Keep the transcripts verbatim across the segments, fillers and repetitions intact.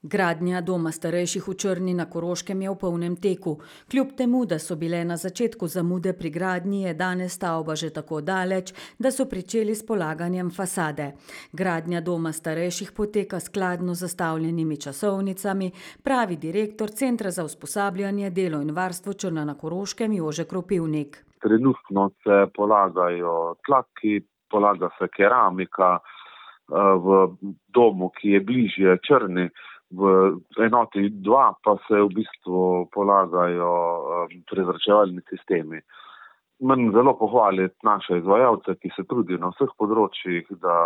Gradnja doma starejših v Črni na Koroškem je v polnem teku. Kljub temu, da so bile na začetku zamude pri gradnji, je danes stavba že tako daleč, da so pričeli s polaganjem fasade. Gradnja doma starejših poteka skladno z zastavljenimi časovnicami, pravi direktor Centra za usposabljanje, delo in varstvo Črna na Koroškem Jože Kropivnik. Trenutno se polagajo tlaki, polaga se keramika v domu, ki je bližje Črni. V enoti dva pa se v bistvu polagajo prezračevalni sistemi. Moram zelo pohvaliti naše izvajalce, ki se trudijo na vseh področjih, da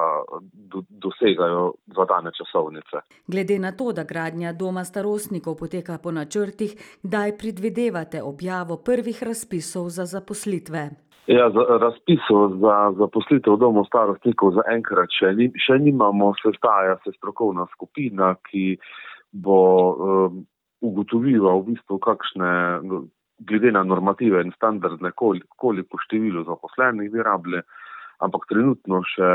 do, dosegajo zadane časovnice. Glede na to, da gradnja doma starostnikov poteka po načrtih, kdaj predvidevate objavo prvih razpisov za zaposlitve? Ja, za razpisov za zaposlitev domov starostnikov zaenkrat še, ni, še nimamo, sestaja se strokovna skupina, ki bo um, ugotovila v bistvu kakšne, glede na normative in standardne, koliko, koliko število zaposlenih bi rabili, ampak trenutno še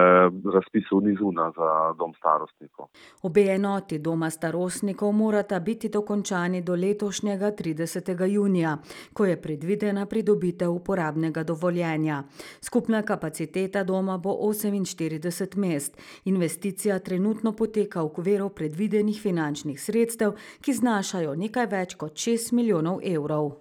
razpisov ni zunaj za dom starostnikov. Obe enoti doma starostnikov morata biti dokončani do letošnjega tridesetega junija, ko je predvidena pridobitev uporabnega dovoljenja. Skupna kapaciteta doma bo oseminštirideset mest. Investicija trenutno poteka v okviru predvidenih finančnih sredstev, ki znašajo nekaj več kot šest milijonov evrov.